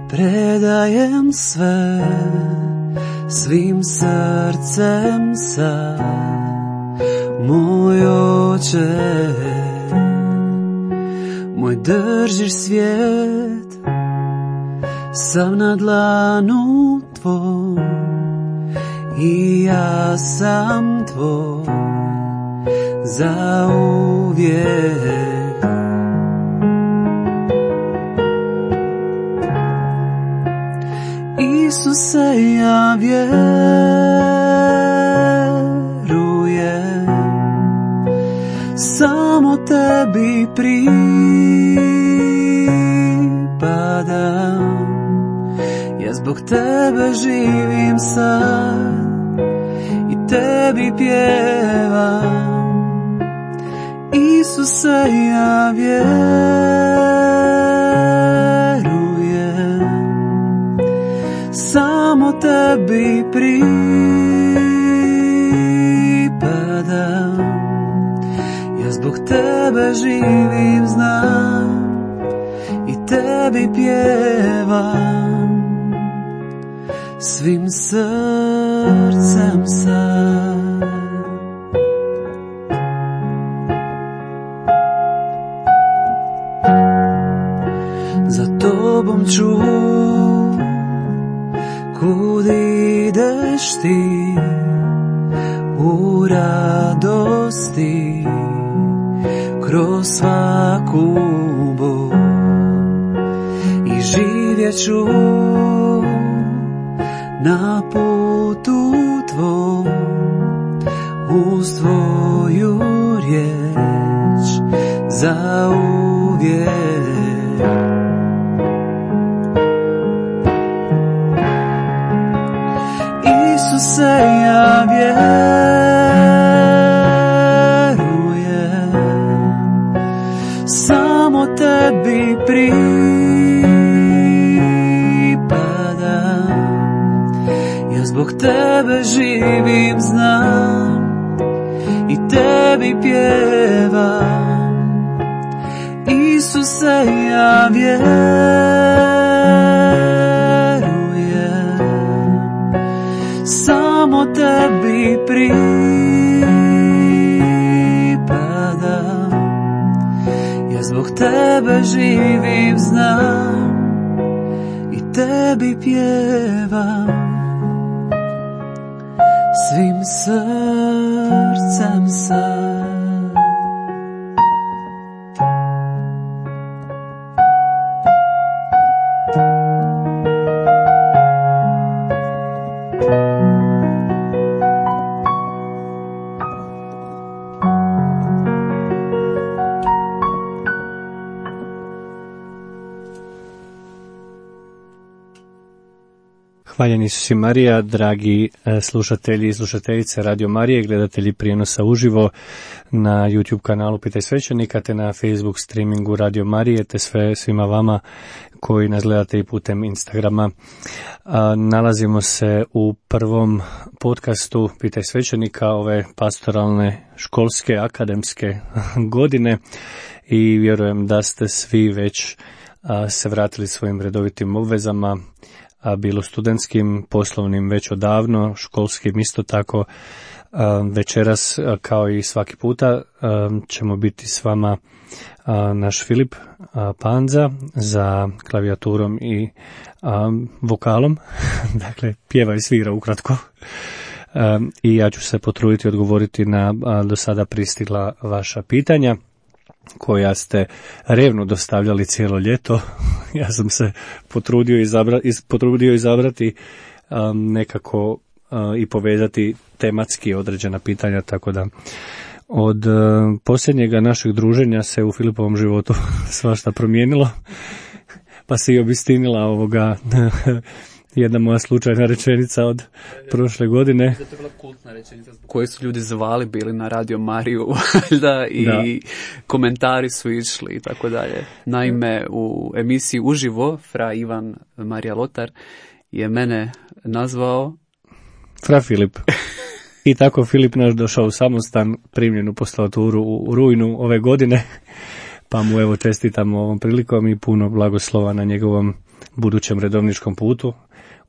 Predajem sve, svim srcem sad, moj Oče, moj držiš svijet, sam na dlanu tvoj i ja sam tvoj za uvijek. Isuse, ja vjerujem, samo tebi pripadam, ja zbog tebe živim sad i tebi pjevam. Isuse, ja vjerujem, samo tebi pripadam, ja zbog tebe živim, znam i tebi pjevam svim srcem sad. Za tobom ću kud ideš ti, u radosti, kroz svaku bol, i živjet ću na putu tvoj, uz tvoju riječ za uvijek. Isuse, ja vjerujem, samo tebi pripadam, ja zbog tebe živim, znam i tebi pjevam. Isuse, ja vjerujem, samo tebi pripadam, ja zbog tebe živim, znam i tebi pjevam svim srcem sad. Hvaljen Isus i Marija, dragi slušatelji i slušateljice Radio Marije, gledatelji prijenosa uživo na YouTube kanalu Pitaj svećenika, te na Facebook streamingu Radio Marije, te svima vama koji nas gledate i putem Instagrama. Nalazimo se u prvom podcastu Pitaj svećenika ove pastoralne, školske, akademske godine i vjerujem da ste svi već se vratili svojim redovitim obvezama, bilo studentskim, poslovnim već odavno, školskim isto tako. Večeras, kao i svaki puta, ćemo biti s vama naš Filip Panza za klavijaturom i vokalom, dakle pjeva i svira ukratko. I ja ću se potruditi odgovoriti na do sada pristigla vaša pitanja koja ste revno dostavljali cijelo ljeto. Ja sam se potrudio izabrati nekako i povezati tematski određena pitanja, tako da od posljednjega našeg druženja se u Filipovom životu svašta promijenilo, pa se i obistinila jedna moja slučajna rečenica od prošle godine. To je bila kultna rečenica koju su ljudi zvali bili na Radio Mariju i komentari su išli i tako dalje. Naime, u emisiji Uživo Fra Ivan Marija Lotar je mene nazvao Fra Filip. I tako Filip naš došao u samostan, primljen u postaturu u rujnu ove godine, pa mu evo čestitamo ovom prilikom i puno blagoslova na njegovom budućem redovničkom putu.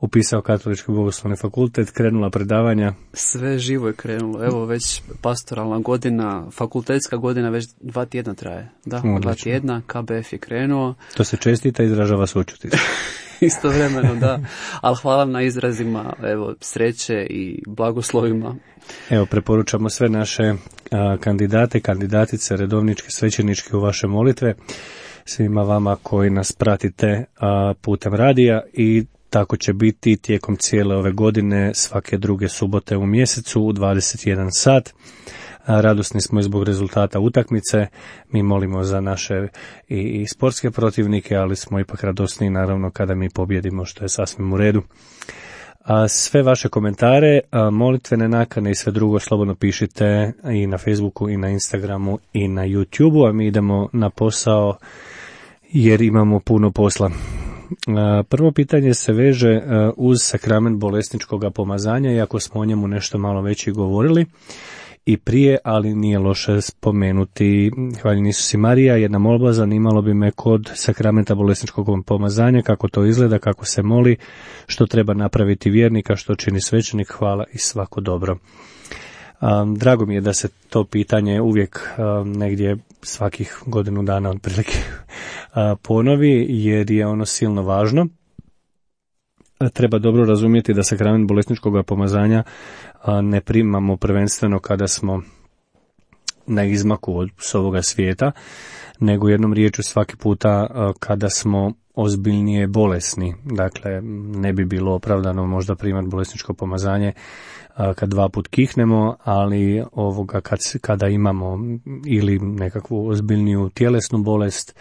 Upisao Katolički bogoslovni fakultet, krenula predavanja. Sve živo je krenulo, evo već pastoralna godina, fakultetska godina već 2 tjedna traje. Da, 2 tjedna, KBF je krenuo. To se čestita i izražava sućut. Istovremeno, da. Ali hvala na izrazima, evo, sreće i blagoslovima. Evo, preporučamo sve naše kandidate, kandidatice, redovničke, svećeničke u vaše molitve. Svima vama koji nas pratite putem radija i tako će biti tijekom cijele ove godine svake druge subote u mjesecu u 21 sat. Radosni smo i zbog rezultata utakmice, mi molimo za naše i sportske protivnike, ali smo ipak radosni naravno kada mi pobjedimo, što je sasvim u redu. Sve vaše komentare, molitvene nakane i sve drugo slobodno pišite i na Facebooku i na Instagramu i na YouTubeu, a mi idemo na posao jer imamo puno posla. Prvo pitanje se veže uz sakrament bolesničkog pomazanja, iako smo o njemu nešto malo već i govorili i prije, ali nije loše spomenuti. Hvaljeni Isus i Marija, jedna molba, zanimalo bi me kod sakramenta bolesničkog pomazanja, kako to izgleda, kako se moli, što treba napraviti vjernika, što čini svećenik, hvala i svako dobro. Drago mi je da se to pitanje uvijek negdje svakih godinu dana otprilike ponovi, jer je ono silno važno. Treba dobro razumjeti da sakrament bolesničkog pomazanja ne primamo prvenstveno kada smo na izmaku s ovoga svijeta, nego jednom riječju svaki puta kada smo ozbiljnije bolesni. Dakle, ne bi bilo opravdano možda primati bolesničko pomazanje kad 2 put kihnemo, ali ovoga kada imamo ili nekakvu ozbiljniju tjelesnu bolest,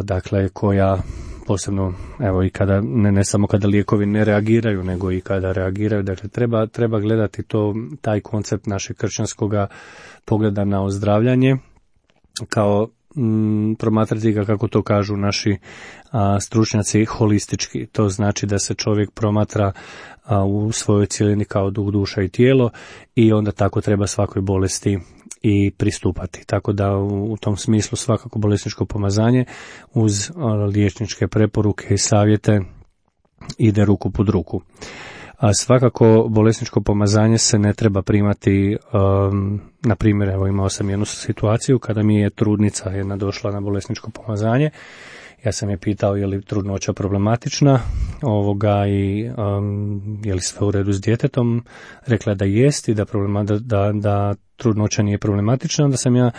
dakle koja posebno, evo i kada, ne samo kada lijekovi ne reagiraju, nego i kada reagiraju, dakle treba gledati taj koncept našeg kršćanskoga pogleda na ozdravljanje, kao promatrati ga, kako to kažu naši stručnjaci, holistički. To znači da se čovjek promatra u svojoj cjelini kao duh, duša i tijelo i onda tako treba svakoj bolesti i pristupati. Tako da u tom smislu svakako bolesničko pomazanje uz liječničke preporuke i savjete ide ruku pod ruku. A svakako bolesničko pomazanje se ne treba primati, na primjer, evo imao sam jednu situaciju kada mi je trudnica jedna došla na bolesničko pomazanje. Ja sam je pitao je li trudnoća problematična i je li sve u redu s djetetom. Rekla je da jest i da trudnoća nije problematična. Onda sam ja,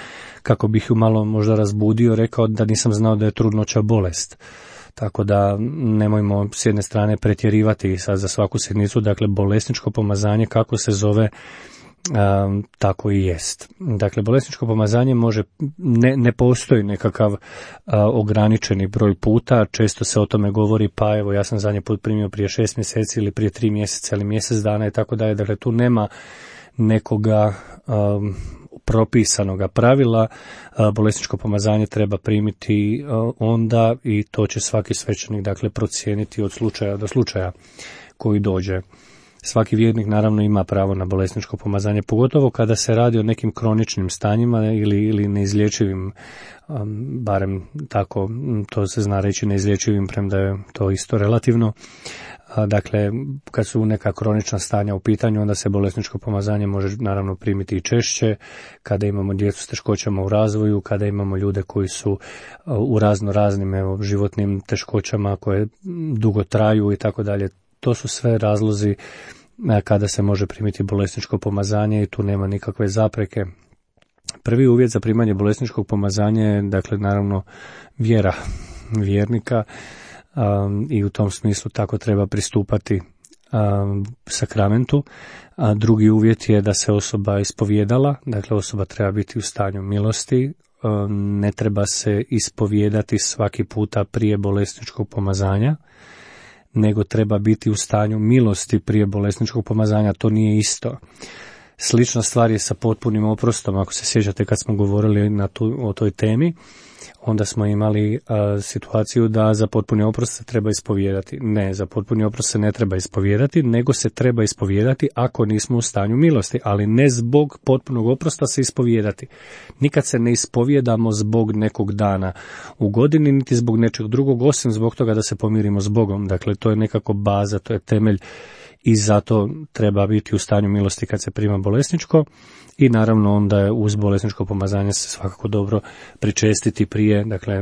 kako bih ju malo možda razbudio, rekao da nisam znao da je trudnoća bolest. Tako da nemojmo s jedne strane pretjerivati sad za svaku sitnicu. Dakle, bolesničko pomazanje kako se zove, tako i jest. Dakle, bolesničko pomazanje ne postoji nekakav ograničeni broj puta, često se o tome govori, pa evo ja sam zadnji put primio prije 6 mjeseci ili prije 3 mjeseca ili mjesec dana i tako dalje. Dakle, tu nema nekoga propisanoga pravila. Bolesničko pomazanje treba primiti onda i to će svaki svećenik dakle procijeniti od slučaja do slučaja koji dođe. Svaki vjernik naravno ima pravo na bolesničko pomazanje, pogotovo kada se radi o nekim kroničnim stanjima ili neizlječivim, barem tako to se zna reći, neizlječivim, premda je to isto relativno. Dakle, kad su neka kronična stanja u pitanju, onda se bolesničko pomazanje može naravno primiti i češće, kada imamo djecu s teškoćama u razvoju, kada imamo ljude koji su u raznim životnim teškoćama koje dugo traju i tako dalje. To su sve razlozi kada se može primiti bolesničko pomazanje i tu nema nikakve zapreke. Prvi uvjet za primanje bolesničkog pomazanja je, dakle, naravno vjera vjernika i u tom smislu tako treba pristupati sakramentu. Drugi uvjet je da se osoba ispovijedala, dakle osoba treba biti u stanju milosti, ne treba se ispovijedati svaki puta prije bolesničkog pomazanja, nego treba biti u stanju milosti prije bolesničkog pomazanja. To nije isto. Slična stvar je sa potpunim oprostom. Ako se sjećate kad smo govorili o toj temi, onda smo imali situaciju da za potpuni oprost se treba ispovijedati. Ne, za potpuni oprost se ne treba ispovijedati, nego se treba ispovijedati ako nismo u stanju milosti, ali ne zbog potpunog oprosta se ispovijedati. Nikad se ne ispovijedamo zbog nekog dana u godini, niti zbog nečeg drugog, osim zbog toga da se pomirimo s Bogom. Dakle, to je nekako baza, to je temelj i zato treba biti u stanju milosti kad se prima bolesničko. I naravno onda je uz bolesničko pomazanje se svakako dobro pričestiti prije, dakle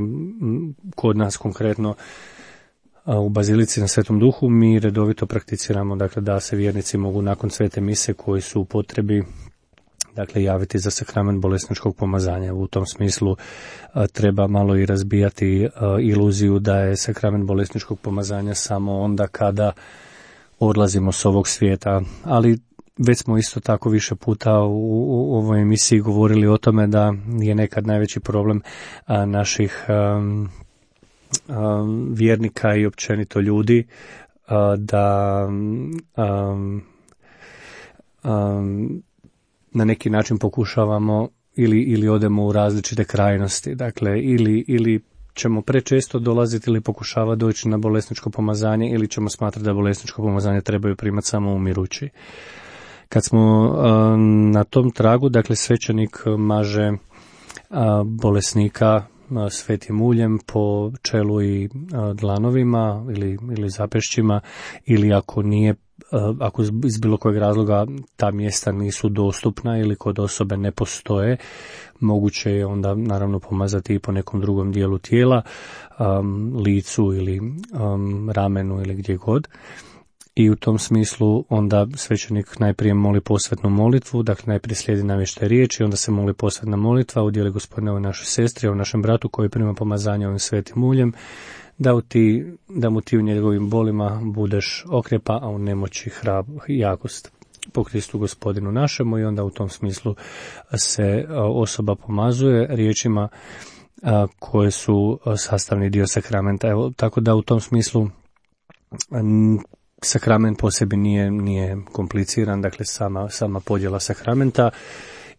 kod nas konkretno u Bazilici na Svetom Duhu mi redovito prakticiramo, dakle da se vjernici mogu nakon svete mise koji su u potrebi, dakle javiti za sakrament bolesničkog pomazanja. U tom smislu treba malo i razbijati iluziju da je sakrament bolesničkog pomazanja samo onda kada odlazimo s ovog svijeta, ali već smo isto tako više puta u ovoj emisiji govorili o tome da je nekad najveći problem naših vjernika i općenito ljudi da na neki način pokušavamo ili odemo u različite krajnosti, dakle ili ćemo prečesto dolaziti ili pokušava doći na bolesničko pomazanje ili ćemo smatrati da bolesničko pomazanje trebaju primati samo umirući. Kad smo na tom tragu, dakle svećenik maže bolesnika svetim uljem po čelu i dlanovima ili zapešćima, ili ako iz bilo kojeg razloga ta mjesta nisu dostupna ili kod osobe ne postoje, moguće je onda naravno pomazati i po nekom drugom dijelu tijela, licu ili ramenu ili gdje god. I u tom smislu onda svećenik najprije moli posvetnu molitvu, dakle najprije slijedi navještaj riječi, onda se moli posvetna molitva, udjeli Gospodine ovoj našoj sestri, ovoj našem bratu koji prima pomazanje ovim svetim uljem, da mu ti u njegovim bolima budeš okrjepa, a u nemoći jakost po Kristu Gospodinu našemu. I onda u tom smislu se osoba pomazuje riječima koje su sastavni dio sakramenta. Evo, tako da u tom smislu sakrament po sebi nije kompliciran, dakle sama podjela sakramenta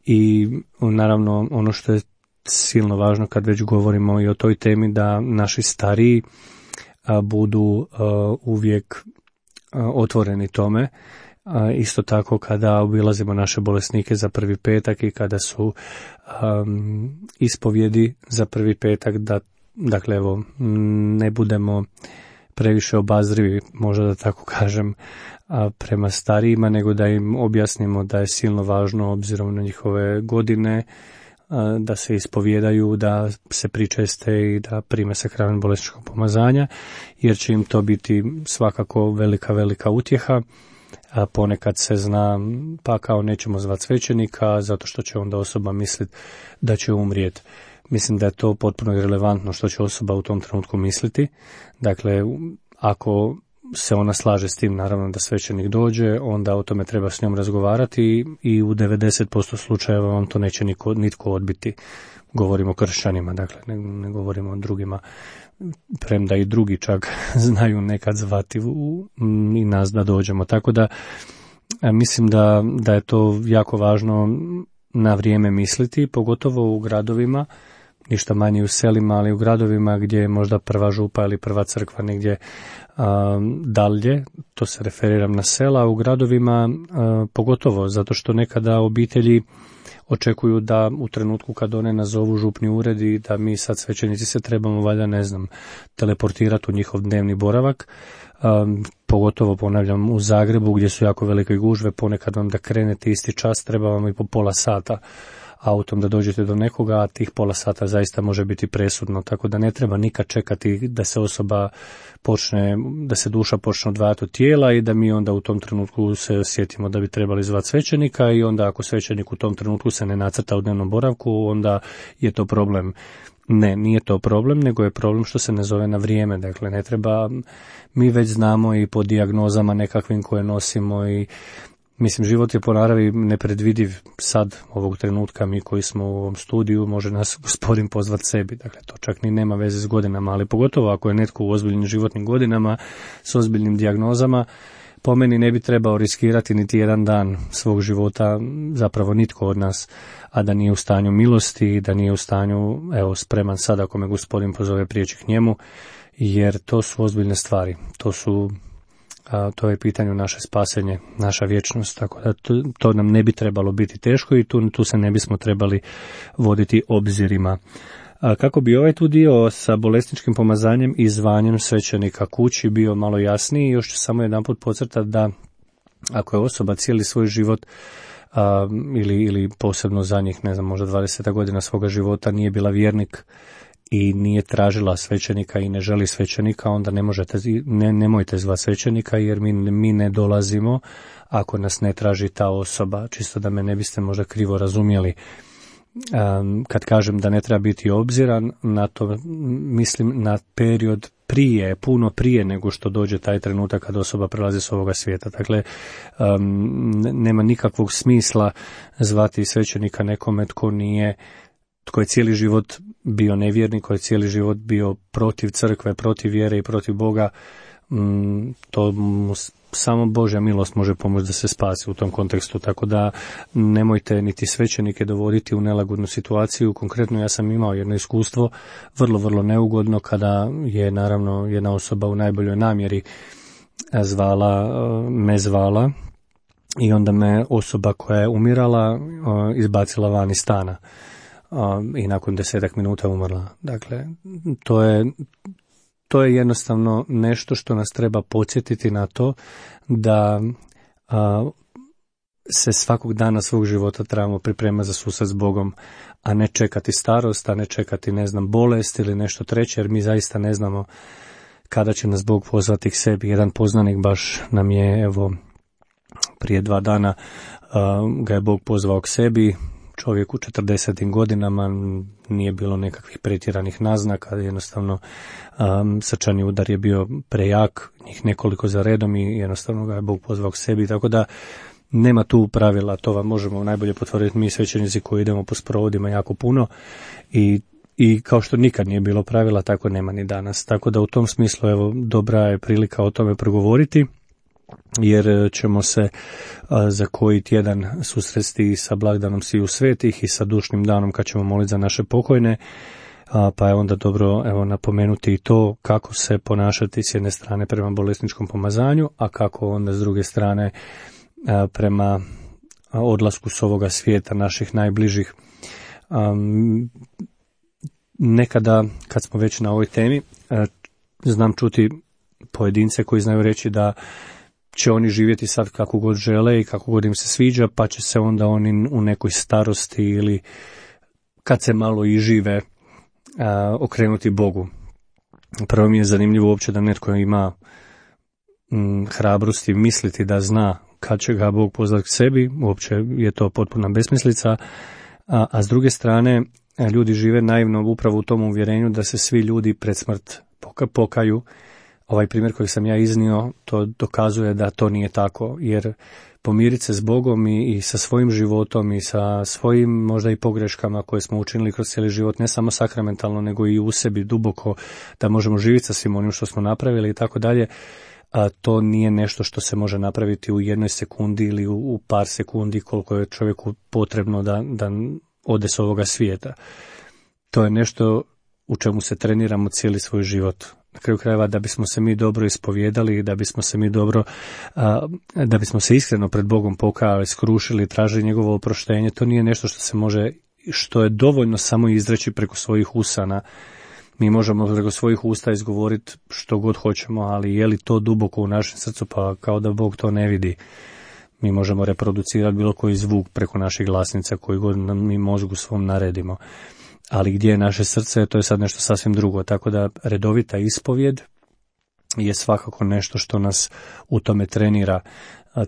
i naravno ono što je silno važno kad već govorimo i o toj temi, da naši stariji budu uvijek otvoreni tome. Isto tako kada obilazimo naše bolesnike za prvi petak i kada su ispovjedi za prvi petak, dakle evo ne budemo previše obazrivi, možda da tako kažem, prema starijima, nego da im objasnimo da je silno važno obzirom na njihove godine da se ispovjedaju, da se pričeste i da prime sakrament bolesničkog pomazanja, jer će im to biti svakako velika utjeha. A ponekad se zna, pa kao nećemo zvati svećenika zato što će onda osoba misliti da će umrijeti. Mislim da je to potpuno irelevantno što će osoba u tom trenutku misliti. Dakle, ako se ona slaže s tim, naravno da svećenik dođe, onda o tome treba s njom razgovarati i u 90% slučajeva vam to neće nitko odbiti. Govorimo o kršćanima, dakle ne govorimo o drugima, premda i drugi čak znaju nekad zvati i nas da dođemo. Tako da mislim da je to jako važno na vrijeme misliti, pogotovo u gradovima, ništa manje u selima, ali u gradovima gdje je možda prva župa ili prva crkva negdje dalje, to se referiram na sela, a u gradovima pogotovo, zato što nekada obitelji očekuju da u trenutku kad one nazovu župni ured i da mi sad svećenici se trebamo valjda, teleportirati u njihov dnevni boravak, pogotovo ponavljam u Zagrebu gdje su jako velike gužve, ponekad vam da krenete isti čas treba vam i po pola sata autom da dođete do nekoga, a tih pola sata zaista može biti presudno, tako da ne treba nikad čekati da se da se duša počne odvajati od tijela i da mi onda u tom trenutku se osjetimo da bi trebali zvati svećenika i onda ako svećenik u tom trenutku se ne nacrta u dnevnom boravku, onda je to problem. Ne, nije to problem, nego je problem što se ne zove na vrijeme. Dakle, ne treba, mi već znamo i po dijagnozama nekakvim koje nosimo i Mislim, život je po naravi nepredvidiv. Sad, ovog trenutka, mi koji smo u ovom studiju, može nas Gospodin pozvati sebi. Dakle, to čak ni nema veze s godinama, ali pogotovo ako je netko u ozbiljnim životnim godinama, s ozbiljnim dijagnozama, po meni ne bi trebao riskirati niti jedan dan svog života, zapravo nitko od nas, a da nije u stanju milosti, da nije u stanju, evo, spreman sad ako me Gospodin pozove prijeći k njemu, jer to su ozbiljne stvari. To je pitanje naše spasenje, naša vječnost, tako da to nam ne bi trebalo biti teško i tu se ne bismo trebali voditi obzirima. Kako bi ovaj tu dio sa bolesničkim pomazanjem i zvanjem svećenika kući bio malo jasniji, još ću samo jedanput podcrtati da ako je osoba cijeli svoj život ili posebno zadnjih, ne znam, možda 20 godina svoga života nije bila vjernik i nije tražila svećenika i ne želi svećenika, onda nemojte zvati svećenika, jer mi ne dolazimo ako nas ne traži ta osoba. Čisto da me ne biste možda krivo razumjeli. Kad kažem da ne treba biti obziran na to, mislim na period prije, puno prije nego što dođe taj trenutak kad osoba prelazi s ovoga svijeta. Dakle, nema nikakvog smisla zvati svećenika nekome tko je cijeli život bio nevjernik, koji je cijeli život bio protiv crkve, protiv vjere i protiv Boga. To samo Božja milost može pomoći da se spasi u tom kontekstu, tako da nemojte niti svećenike dovoditi u nelagodnu situaciju. Konkretno ja sam imao jedno iskustvo vrlo, vrlo neugodno kada je naravno jedna osoba u najboljoj namjeri me zvala i onda me osoba koja je umirala izbacila van iz stana i nakon 10 minuta umrla. Dakle, to je jednostavno nešto što nas treba podsjetiti na to da se svakog dana svog života trebamo pripremati za susret s Bogom, a ne čekati starost, a ne čekati, bolest ili nešto treće, jer mi zaista ne znamo kada će nas Bog pozvati k sebi. Jedan poznanik baš nam je, evo, prije 2 dana ga je Bog pozvao k sebi. Čovjek u 40. godinama, nije bilo nekakvih pretjeranih naznaka, jednostavno srčani udar je bio prejak, njih nekoliko za redom i jednostavno ga je Bog pozvao k sebi, tako da nema tu pravila, to vam možemo najbolje potvrditi mi svećenici koji idemo po sprovodima jako puno i kao što nikad nije bilo pravila, tako nema ni danas, tako da u tom smislu, evo, dobra je prilika o tome progovoriti, jer ćemo se za koji tjedan susresti sa blagdanom sviju svetih i sa dušnim danom kad ćemo moliti za naše pokojne, pa je onda dobro, evo, napomenuti i to kako se ponašati s jedne strane prema bolesničkom pomazanju, a kako onda s druge strane prema odlasku s ovoga svijeta naših najbližih. Nekada, kad smo već na ovoj temi, znam čuti pojedince koji znaju reći da će oni živjeti sad kako god žele i kako god im se sviđa, pa će se onda oni u nekoj starosti ili kad se malo i žive okrenuti Bogu. Prvo mi je zanimljivo uopće da netko ima hrabrosti misliti da zna kad će ga Bog pozvati k sebi, uopće je to potpuna besmislica, a s druge strane ljudi žive naivno upravo u tom uvjerenju da se svi ljudi pred smrt pokaju. Ovaj primjer koji sam ja iznio, to dokazuje da to nije tako, jer pomiriti se s Bogom i sa svojim životom i sa svojim možda i pogreškama koje smo učinili kroz cijeli život, ne samo sakramentalno, nego i u sebi duboko, da možemo živjeti sa svim onim što smo napravili i tako dalje, a to nije nešto što se može napraviti u 1 sekundi ili u par sekundi koliko je čovjeku potrebno da ode s ovoga svijeta. To je nešto u čemu se treniramo cijeli svoj život. Na kraju krajeva, da bismo se mi dobro ispovijedali, da bismo se iskreno pred Bogom pokajali, skrušili, tražili njegovo oproštenje, to nije nešto što se može, što je dovoljno samo izreći preko svojih usana. Mi možemo preko svojih usta izgovoriti što god hoćemo, ali je li to duboko u našem srcu, pa kao da Bog to ne vidi. Mi možemo reproducirati bilo koji zvuk preko naših glasnica koji god mi mozgu svom naredimo. Ali gdje je naše srce, to je sad nešto sasvim drugo. Tako da redovita ispovjed je svakako nešto što nas u tome trenira.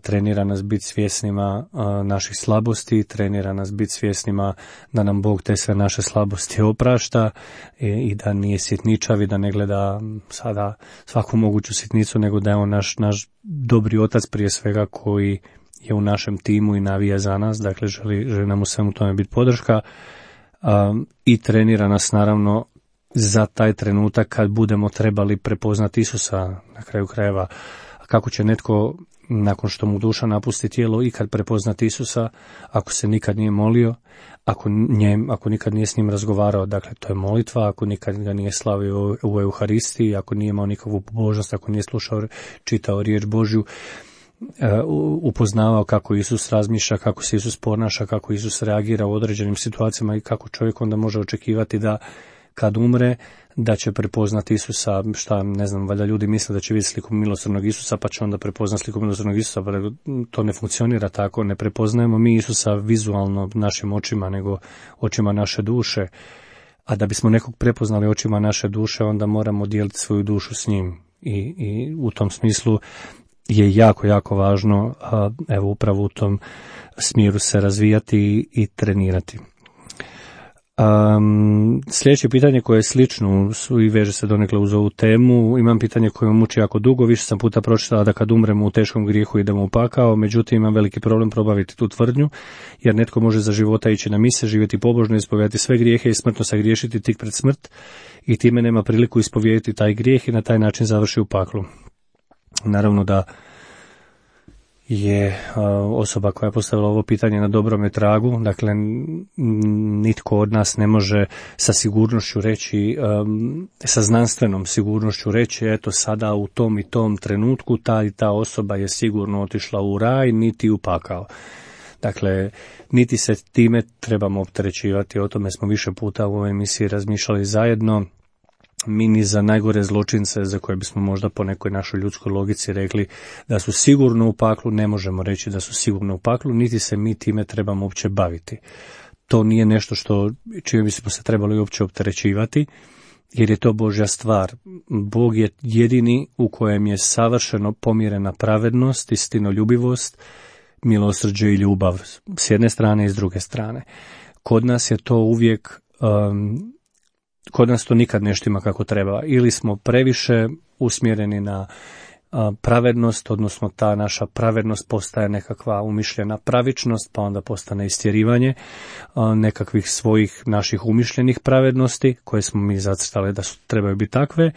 Trenira nas biti svjesnima naših slabosti, trenira nas biti svjesnima da nam Bog te sve naše slabosti oprašta i da nije sitničav i da ne gleda sada svaku moguću sitnicu, nego da je on naš dobri otac prije svega koji je u našem timu i navija za nas, dakle želi nam u svemu tome biti podrška i trenira nas naravno za taj trenutak kad budemo trebali prepoznati Isusa na kraju krajeva. Kako će netko nakon što mu duša napusti tijelo i kad prepoznati Isusa, ako se nikad nije molio, ako nikad nije s njim razgovarao, dakle to je molitva, ako nikad ga nije slavio u Euharistiji, ako nije imao nikakvu pobožnost, ako nije slušao, čitao riječ Božju, upoznavao kako Isus razmišlja, kako se Isus ponaša, kako Isus reagira u određenim situacijama i kako čovjek onda može očekivati da kad umre, da će prepoznati Isusa, valjda ljudi misle da će vidjeti sliku milosrdnog Isusa, pa će onda prepoznati sliku milosrdnog Isusa, pa to ne funkcionira tako, ne prepoznajemo mi Isusa vizualno našim očima, nego očima naše duše, a da bismo nekog prepoznali očima naše duše, onda moramo dijeliti svoju dušu s njim i u tom smislu je jako, jako važno, evo upravo u tom smjeru se razvijati i trenirati. Sljedeće pitanje koje je slično i veže se donekle uz ovu temu, imam pitanje koje me muči jako dugo, više sam puta pročitala da kad umremo u teškom grijehu idemo u pakao, međutim imam veliki problem probaviti tu tvrdnju, jer netko može za života ići na mise, živjeti pobožno, ispovijedati sve grijehe i smrtno sagriješiti tik pred smrt i time nema priliku ispovijediti taj grijeh i na taj način završi u paklu. Naravno da je osoba koja je postavila ovo pitanje na dobrome tragu, dakle nitko od nas ne može sa sigurnošću reći, sa znanstvenom sigurnošću reći, eto sada u tom i tom trenutku ta i ta osoba je sigurno otišla u raj, niti u pakao. Dakle, niti se time trebamo opterećivati, o tome smo više puta u ovoj emisiji razmišljali zajedno. Mi ni za najgore zločince za koje bismo možda po nekoj našoj ljudskoj logici rekli da su sigurno u paklu, ne možemo reći da su sigurno u paklu, niti se mi time trebamo uopće baviti. To nije nešto čime bismo se trebali uopće opterećivati, jer je to Božja stvar. Bog je jedini u kojem je savršeno pomirena pravednost, istinoljubivost, milosrđe i ljubav s jedne strane i s druge strane. Kod nas je to uvijek kod nas to nikad ne štima kako treba. Ili smo previše usmjereni na pravednost, odnosno ta naša pravednost postaje nekakva umišljena pravičnost, pa onda postane istjerivanje nekakvih svojih naših umišljenih pravednosti, koje smo mi zacrtali da trebaju biti takve,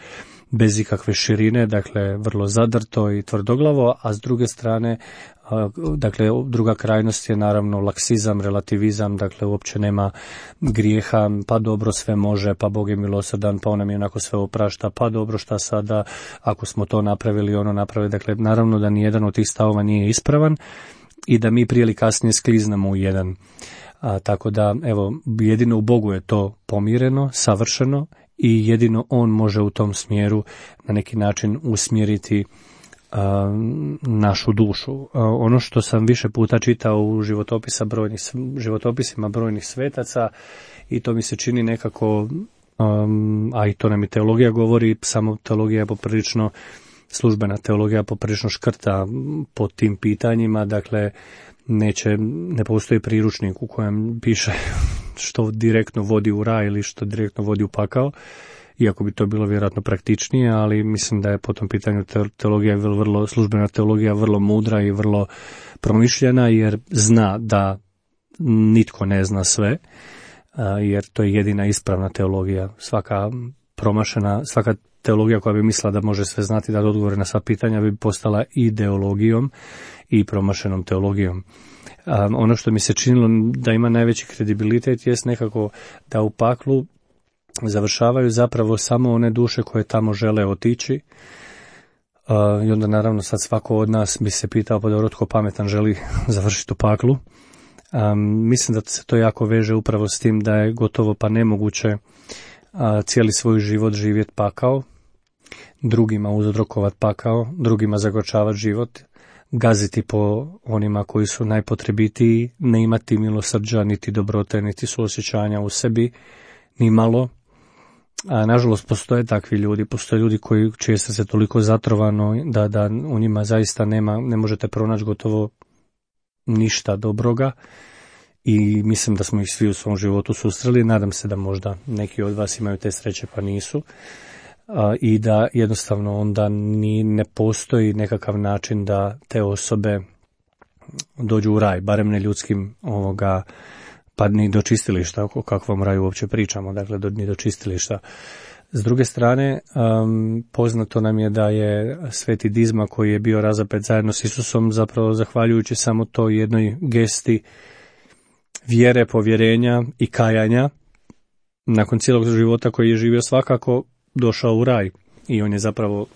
bez ikakve širine, dakle vrlo zadrto i tvrdoglavo, a s druge strane, dakle druga krajnost je naravno laksizam, relativizam, dakle uopće nema grijeha, pa dobro sve može, pa Bog je milosrdan, pa on nam je onako sve oprašta, pa dobro šta sada ako smo to napravili, ono napravili, dakle naravno da nijedan od tih stavova nije ispravan i da mi prije ili kasnije skliznemo u jedan. Tako da, evo, jedino u Bogu je to pomireno, savršeno i jedino On može u tom smjeru na neki način usmjeriti našu dušu. Ono što sam više puta čitao u životopisima brojnih svetaca i to mi se čini nekako, a i to nam i teologija govori, samo teologija je poprilično, službena teologija poprilično škrta po tim pitanjima, dakle ne postoji priručnik u kojem piše što direktno vodi u raj ili što direktno vodi u pakao, iako bi to bilo vjerojatno praktičnije, ali mislim da je po tom pitanju teologija službena teologija vrlo mudra i vrlo promišljena, jer zna da nitko ne zna sve, jer to je jedina ispravna teologija. Svaka teologija koja bi mislila da može sve znati, da odgovore na sva pitanja, bi postala ideologijom i promašenom teologijom. Ono što mi se činilo da ima najveći kredibilitet jest nekako da u paklu završavaju zapravo samo one duše koje tamo žele otići. I onda naravno sad svako od nas bi se pitao, pa dobro, tko pametan želi završiti u paklu. Mislim da se to jako veže upravo s tim da je gotovo pa nemoguće cijeli svoj život živjeti pakao, drugima uzrokovati pakao, drugima zagorčavati život, gaziti po onima koji su najpotrebitiji, ne imati milosrđa, niti dobrote, niti suosjećanja u sebi, ni malo. Nažalost, postoje takvi ljudi, postoje ljudi čije se toliko zatrovano da u njima zaista ne možete pronaći gotovo ništa dobroga i mislim da smo ih svi u svom životu susreli. Nadam se da možda neki od vas imaju te sreće pa nisu i da jednostavno onda ne postoji nekakav način da te osobe dođu u raj, barem ne ljudskim pa ni do čistilišta, o kakvom raju uopće pričamo, dakle ni do čistilišta. S druge strane, poznato nam je da je Sveti Dizma, koji je bio razapet zajedno s Isusom, zapravo zahvaljujući samo toj jednoj gesti vjere, povjerenja i kajanja, nakon cijelog života koji je živio, svakako došao u raj. I on je zapravo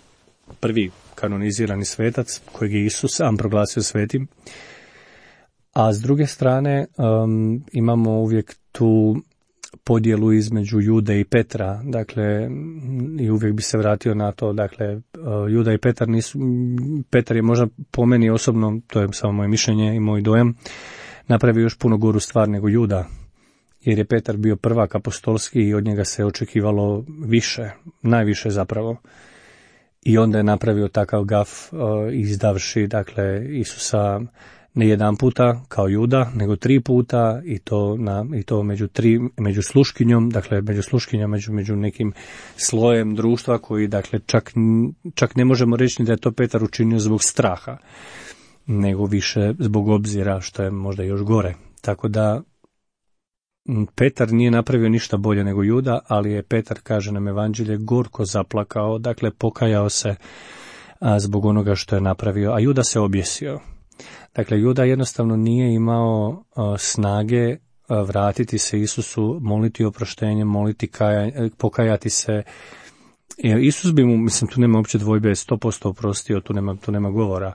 prvi kanonizirani svetac kojeg je Isus sam proglasio svetim. A s druge strane, imamo uvijek tu podjelu između Jude i Petra, dakle, i uvijek bi se vratio na to, dakle, Juda i Petar nisu, Petar je možda po meni osobno, to je samo moje mišljenje i moj dojam, napravio još puno goru stvar nego Juda, jer je Petar bio prvak apostolski i od njega se očekivalo više, najviše zapravo. I onda je napravio takav gaf izdavši, dakle, Isusa ne jedan puta kao Juda, nego 3 puta i to među sluškinjom, dakle među sluškinjom, među nekim slojem društva koji, dakle, čak ne možemo reći da je to Petar učinio zbog straha, nego više zbog obzira, što je možda još gore. Tako da Petar nije napravio ništa bolje nego Juda, ali je Petar, kaže nam Evanđelje, gorko zaplakao, dakle pokajao se zbog onoga što je napravio, a Juda se objesio. Dakle, Juda jednostavno nije imao snage vratiti se Isusu, moliti oproštenje, pokajati se. Isus bi mu, mislim, tu nema uopće dvojbe, 100% oprostio, tu nema govora.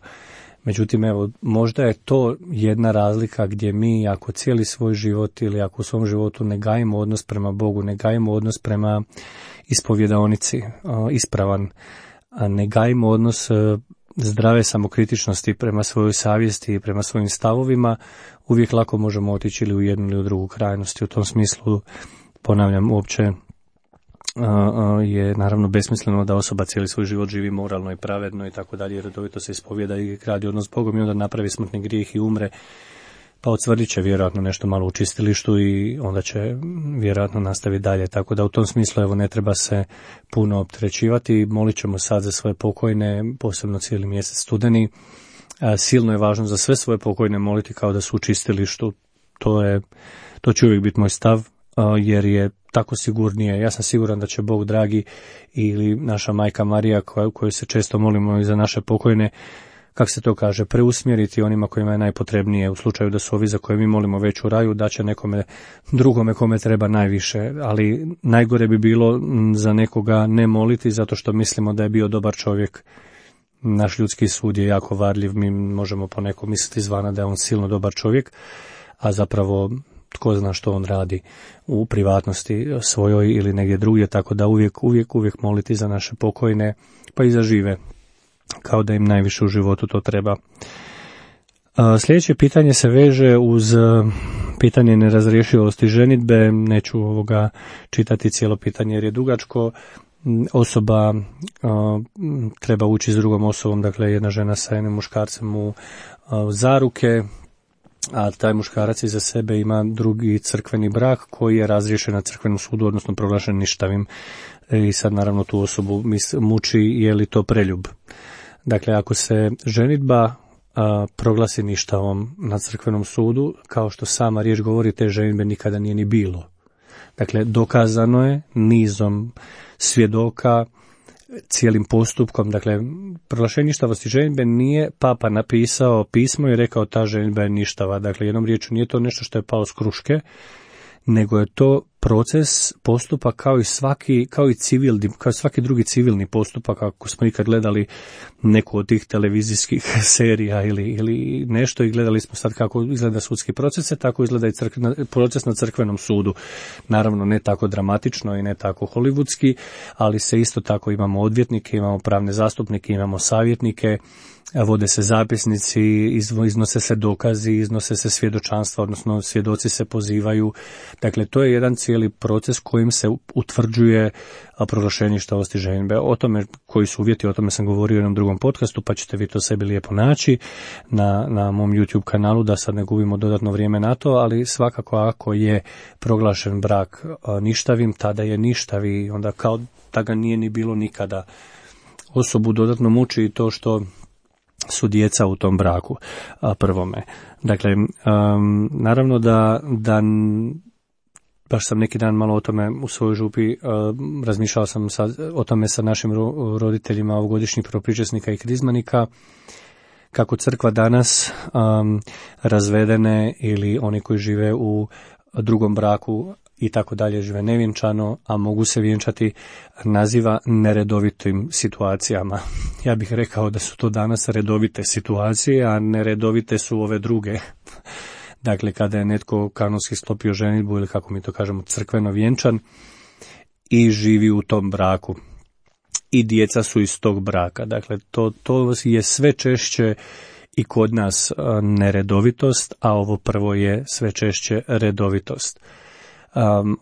Međutim, evo, možda je to jedna razlika gdje mi, ako cijeli svoj život ili ako u svom životu ne gajimo odnos prema Bogu, ne gajimo odnos prema ispovjedaonici, ispravan, ne gajimo odnos zdrave samokritičnosti prema svojoj savjesti i prema svojim stavovima, uvijek lako možemo otići ili u jednu ili u drugu krajnost. U tom smislu, ponavljam, uopće je naravno besmisleno da osoba cijeli svoj život živi moralno i pravedno i tako dalje, redovito se ispovjeda i gradi odnos s Bogom i onda napravi smrtni grijeh i umre, pa odsvrdit će vjerojatno nešto malo u čistilištu i onda će vjerojatno nastaviti dalje. Tako da u tom smislu, evo, ne treba se puno opterećivati. Molit ćemo sad za svoje pokojne, posebno cijeli mjesec studeni. Silno je važno za sve svoje pokojne moliti kao da su u čistilištu. To će uvijek biti moj stav, jer je tako sigurnije. Ja sam siguran da će Bog dragi ili naša majka Marija, koju se često molimo i za naše pokojne, kako se to kaže, preusmjeriti onima kojima je najpotrebnije, u slučaju da su ovi za koje mi molimo već u raju, da će nekome drugome kome treba najviše, ali najgore bi bilo za nekoga ne moliti zato što mislimo da je bio dobar čovjek. Naš ljudski sud je jako varljiv, mi možemo poneko misliti izvana da je on silno dobar čovjek, a zapravo tko zna što on radi u privatnosti svojoj ili negdje drugdje, tako da uvijek moliti za naše pokojne, pa i za žive, kao da im najviše u životu to treba. Sljedeće pitanje se veže uz pitanje nerazrješivosti ženidbe. Neću čitati cijelo pitanje jer je dugačko. Osoba treba ući s drugom osobom, dakle jedna žena sa jednim muškarcem u zaruke, a taj muškarac iza sebe ima drugi crkveni brak koji je razriješen na crkvenom sudu, odnosno proglašen ništavim. I sad naravno tu osobu muči je li to preljub. Dakle, ako se ženidba proglasi ništavom na crkvenom sudu, kao što sama riječ govori, te ženidbe nikada nije ni bilo. Dakle, dokazano je nizom svjedoka, cijelim postupkom. Dakle, proglašenje ništavosti ženidbe nije papa napisao pismo i rekao ta ženidba je ništava. Dakle, jednom riječju nije to nešto što je palo s kruške, nego je to proces, postupak kao svaki drugi civilni postupak. Ako smo ikad gledali neku od tih televizijskih serija ili nešto i gledali smo sad kako izgleda sudski proces, tako izgleda i proces na crkvenom sudu. Naravno ne tako dramatično i ne tako hollywoodski, ali se isto tako imamo odvjetnike, imamo pravne zastupnike, imamo savjetnike, vode se zapisnici, iznose se dokazi, iznose se svjedočanstva, odnosno svjedoci se pozivaju. Dakle, to je jedan cijeli proces kojim se utvrđuje proglašenje ništavosti ženidbe. O tome koji su uvjeti, o tome sam govorio u jednom drugom podcastu, pa ćete vi to sebi lijepo naći na mom YouTube kanalu, da sad ne gubimo dodatno vrijeme na to, ali svakako ako je proglašen brak ništavim, tada je ništavi, onda kao da ga nije ni bilo nikada. Osobu dodatno muči to što su djeca u tom braku prvome. Dakle, naravno da baš sam neki dan malo o tome u svojoj župi, razmišljao sam o tome sa našim roditeljima ovogodišnjih prvopričesnika i krizmanika, kako crkva danas razvedene ili oni koji žive u drugom braku i tako dalje žive nevjenčano, a mogu se vjenčati, naziva neredovitim situacijama. Ja bih rekao da su to danas redovite situacije, a neredovite su ove druge. Dakle, kada je netko kanonski sklopio ženidbu ili kako mi to kažemo crkveno vjenčan i živi u tom braku. I djeca su iz tog braka. Dakle, to je sve češće i kod nas neredovitost, a ovo prvo je sve češće redovitost.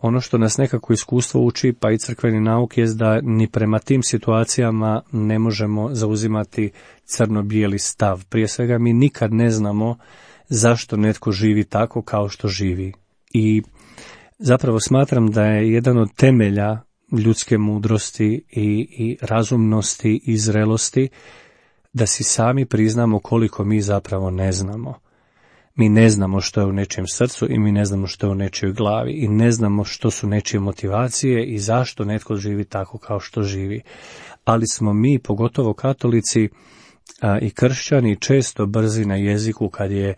Ono što nas nekako iskustvo uči, pa i crkveni nauk, je da ni prema tim situacijama ne možemo zauzimati crno-bijeli stav. Prije svega mi nikad ne znamo zašto netko živi tako kao što živi. I zapravo smatram da je jedan od temelja ljudske mudrosti i razumnosti i zrelosti da si sami priznamo koliko mi zapravo ne znamo. Mi ne znamo što je u nečijem srcu i mi ne znamo što je u nečijoj glavi i ne znamo što su nečije motivacije i zašto netko živi tako kao što živi. Ali smo mi, pogotovo katolici i kršćani, često brzi na jeziku kad je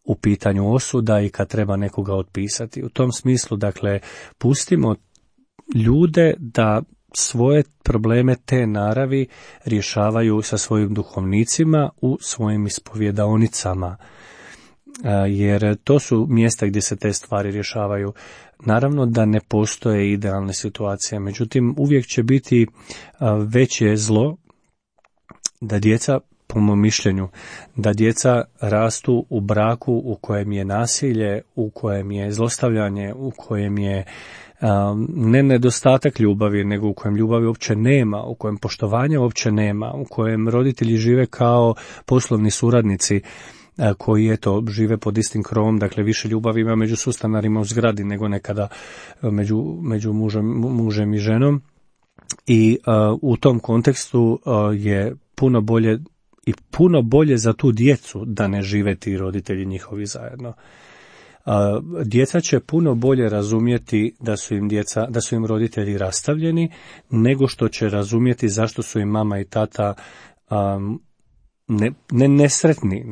u pitanju osuda i kad treba nekoga otpisati. U tom smislu, dakle, pustimo ljude da svoje probleme te naravi rješavaju sa svojim duhovnicima u svojim ispovjedaonicama, jer to su mjesta gdje se te stvari rješavaju. Naravno da ne postoje idealne situacije, međutim uvijek će biti veće zlo da djeca, po mom mišljenju, da djeca rastu u braku u kojem je nasilje, u kojem je zlostavljanje, u kojem je ne nedostatak ljubavi, nego u kojem ljubavi uopće nema, u kojem poštovanja uopće nema, u kojem roditelji žive kao poslovni suradnici koji žive pod istim krovom, dakle više ljubavi ima među sustanarima u zgradi nego nekada među mužem i ženom. I u tom kontekstu je puno bolje za tu djecu da ne žive ti roditelji njihovi zajedno. Djeca će puno bolje razumjeti da su im roditelji rastavljeni, nego što će razumjeti zašto su im mama i tata ne nesretni,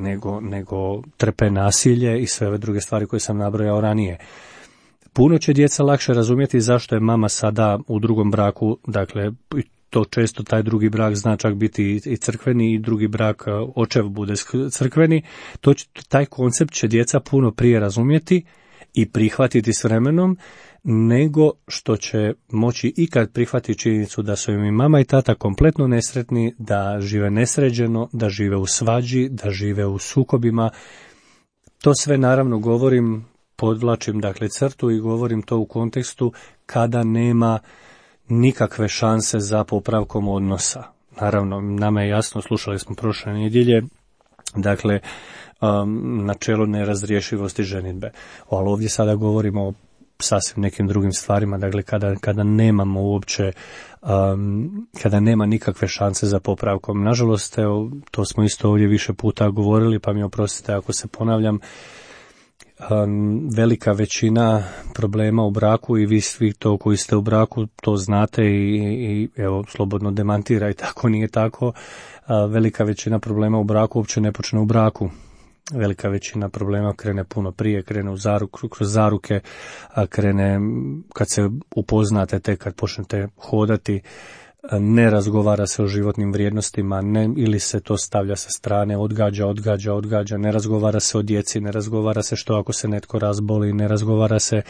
nego trpe nasilje i sve ove druge stvari koje sam nabrojao ranije. Puno će djeca lakše razumjeti zašto je mama sada u drugom braku, dakle to često taj drugi brak zna čak biti i crkveni i drugi brak očev bude crkveni. Taj koncept će djeca puno prije razumjeti i prihvatiti s vremenom, nego što će moći ikad prihvatiti činjenicu da su im i mama i tata kompletno nesretni, da žive nesređeno, da žive u svađi, da žive u sukobima. To sve naravno govorim, podvlačim dakle crtu i govorim to u kontekstu kada nema nikakve šanse za popravkom odnosa. Naravno, nama je jasno, slušali smo prošle nedjelje, dakle, načelo nerazriješivosti ženidbe. Ali ovdje sada govorimo o sasvim nekim drugim stvarima, dakle, kada nemamo uopće, kada nema nikakve šanse za popravkom. Nažalost, evo, to smo isto ovdje više puta govorili, pa mi oprostite ako se ponavljam, velika većina problema u braku i vi svi to koji ste u braku to znate i evo slobodno demantirajte ako nije tako, velika većina problema u braku uopće ne počne u braku. Velika većina problema krene puno prije, krene kroz zaruke, krene kad se upoznate, tek kad počnete hodati, ne razgovara se o životnim vrijednostima, ili se to stavlja sa strane, odgađa, ne razgovara se o djeci, ne razgovara se što ako se netko razboli, ne razgovara se,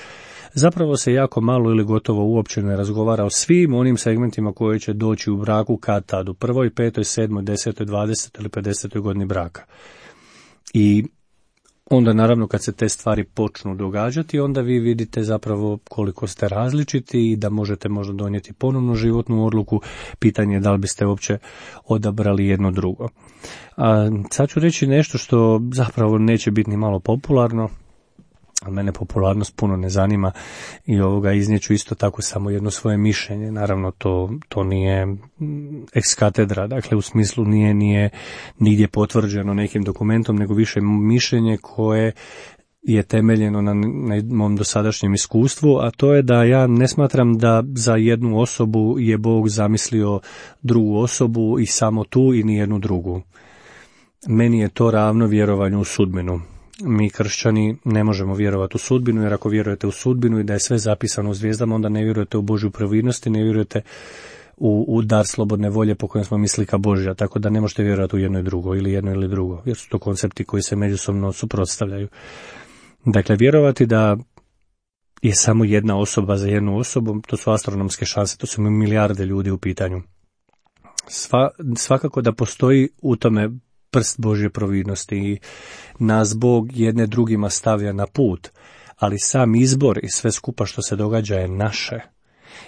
zapravo se jako malo ili gotovo uopće ne razgovara o svim onim segmentima koji će doći u braku kad tad, u 1., 5., 7., 10., 20. ili 50. godini braka. I onda naravno kad se te stvari počnu događati, onda vi vidite zapravo koliko ste različiti i da možete možda donijeti ponovno životnu odluku. Pitanje je da li biste uopće odabrali jedno drugo. Sad ću reći nešto što zapravo neće biti ni malo popularno, Mene popularnost puno ne zanima i iznijeću isto tako samo jedno svoje mišljenje. Naravno, to nije ex katedra, dakle u smislu nije nigdje potvrđeno nekim dokumentom, nego više mišljenje koje je temeljeno na mom dosadašnjem iskustvu, a to je da ja ne smatram da za jednu osobu je Bog zamislio drugu osobu i samo tu i nijednu drugu. Meni je to ravno vjerovanju u sudbinu. Mi kršćani ne možemo vjerovati u sudbinu, jer ako vjerujete u sudbinu i da je sve zapisano u zvijezdama, onda ne vjerujete u Božju providnost i ne vjerujete u dar slobodne volje po kojem smo mi slika Božja, tako da ne možete vjerovati u jedno i drugo, ili jedno ili drugo, jer su to koncepti koji se međusobno suprotstavljaju. Dakle, vjerovati da je samo jedna osoba za jednu osobu, to su astronomske šanse, to su milijarde ljudi u pitanju. Svakako da postoji u tome prst Božje providnosti i nas Bog jedne drugima stavlja na put, ali sam izbor i sve skupa što se događa je naše.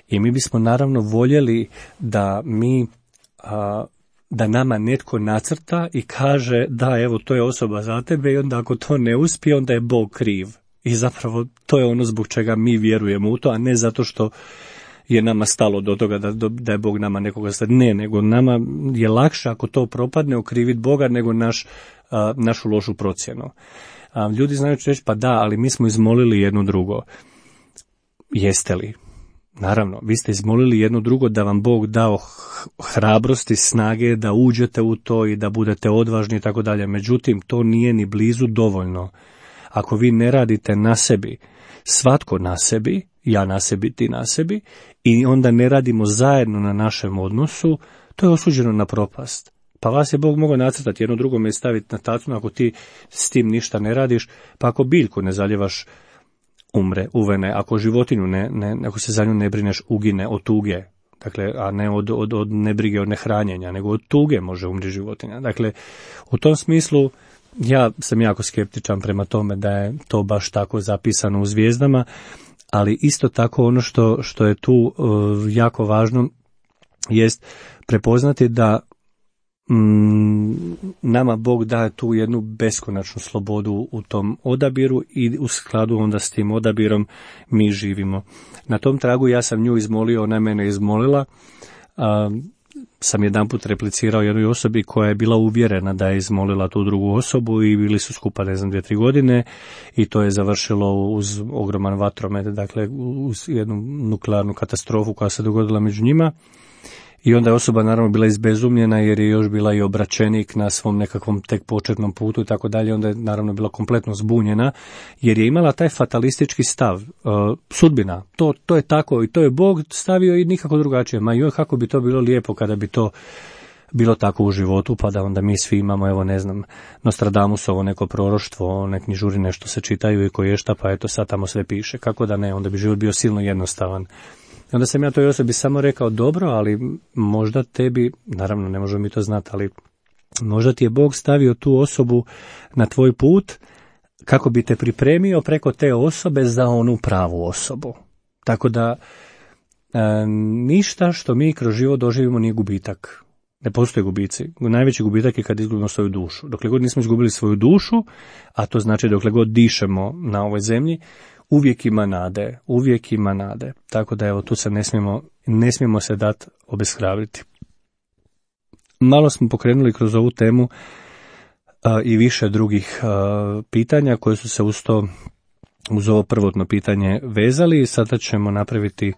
I mi bismo naravno voljeli da da nama netko nacrta i kaže da evo to je osoba za tebe i onda ako to ne uspije onda je Bog kriv. I zapravo to je ono zbog čega mi vjerujemo u to, a ne zato što je nama stalo do toga da je Bog nama nekoga sad. Ne, nego nama je lakše ako to propadne okriviti Boga nego našu lošu procjenu. Ljudi znaju reći pa da, ali mi smo izmolili jedno drugo. Jeste li? Naravno, vi ste izmolili jedno drugo da vam Bog dao hrabrosti, snage, da uđete u to i da budete odvažni i tako dalje. Međutim, to nije ni blizu dovoljno. Ako vi ne radite na sebi, svatko na sebi, ja na sebi, ti na sebi, i onda ne radimo zajedno na našem odnosu, to je osuđeno na propast. Pa vas je Bog mogao nacrtati jedno drugome i staviti na tacnu ako ti s tim ništa ne radiš, pa ako biljku ne zaljevaš, umre, uvene, ako životinju ako se za nju ne brineš, ugine od tuge, dakle, a ne od nebrige, od nehranjenja, nego od tuge može umri životinja. Dakle, u tom smislu ja sam jako skeptičan prema tome da je to baš tako zapisano u zvijezdama, ali isto tako ono što je tu jako važno jest prepoznati da nama Bog daje tu jednu beskonačnu slobodu u tom odabiru i u skladu onda s tim odabirom mi živimo. Na tom tragu ja sam nju izmolio, ona je mene izmolila. Sam jedanput replicirao jednoj osobi koja je bila uvjerena da je izmolila tu drugu osobu i bili su skupa 2-3 godine i to je završilo uz ogroman vatromet, dakle uz jednu nuklearnu katastrofu koja se dogodila među njima. I onda je osoba naravno bila izbezumljena jer je još bila i obraćenik na svom nekakvom tek početnom putu i tako dalje. Onda je naravno bila kompletno zbunjena jer je imala taj fatalistički stav. Sudbina, to je tako i to je Bog stavio i nikako drugačije. Ma joj, kako bi to bilo lijepo kada bi to bilo tako u životu, pa da onda mi svi imamo, evo ne znam, Nostradamusovo neko proroštvo, nek knjižuri nešto se čitaju i koje šta, pa eto sad tamo sve piše. Kako da ne, onda bi život bio silno jednostavan. Onda sam ja toj osobi samo rekao, dobro, ali možda tebi, naravno ne možemo mi to znati, ali možda ti je Bog stavio tu osobu na tvoj put kako bi te pripremio preko te osobe za onu pravu osobu. Tako da ništa što mi kroz život doživimo nije gubitak. Ne postoje gubici. Najveći gubitak je kad izgubimo svoju dušu. Dokle god nismo izgubili svoju dušu, a to znači dokle god dišemo na ovoj zemlji, uvijek ima nade. Tako da evo tu se ne smijemo se dati obeshrabriti. Malo smo pokrenuli kroz ovu temu i više drugih pitanja koje su se uz ovo prvotno pitanje vezali i sada ćemo napraviti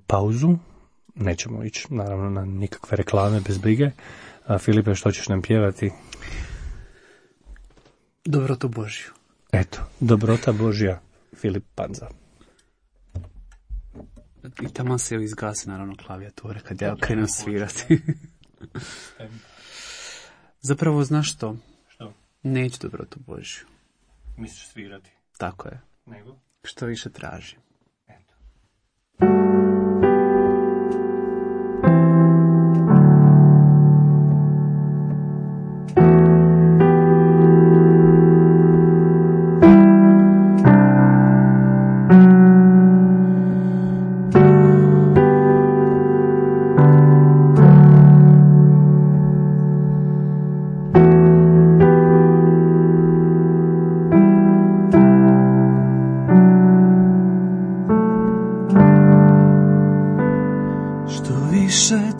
pauzu. Nećemo ići naravno na nikakve reklame bez brige. Filipe, što ćeš nam pjevati? Dobrotu Božju. Eto, dobrota Božja, Filip Panza. I tamo se izgasi naravno klavijature kad ja krenem svirati. Zapravo, znaš što? Što? Neću dobrotu Božju. Misliš svirati? Tako je. Nego? Što više tražim. Eto.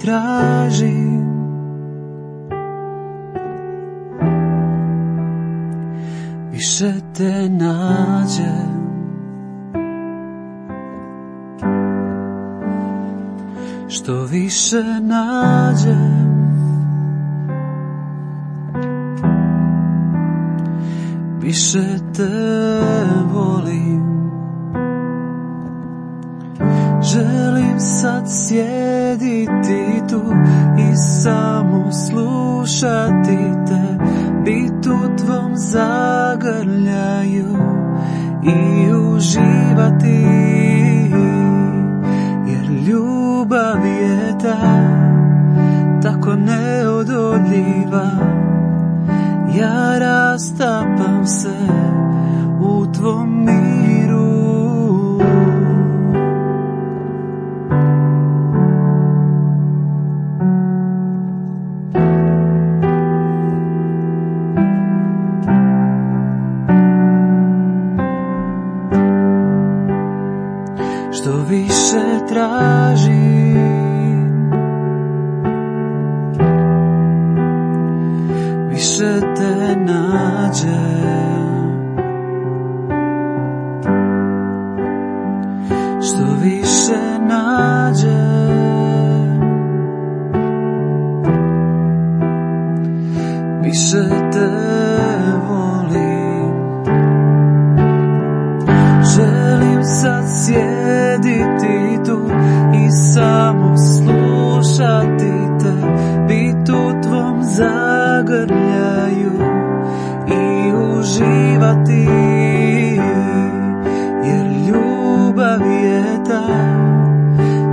tražim, više te nađem. Što više nađem, više te volim. Želim sad sjediti tu i samo slušati te, bit u tvom zagrljaju i uživati, jer ljubav je tako neodoljiva. Ja rastapam se u tvom miru. Što više tražim, više te nađem. Što više nađem, više te volim. Želim sad sjediti tu i samo slušati te, bit u tvom zagrljaju i uživati, jer ljubav je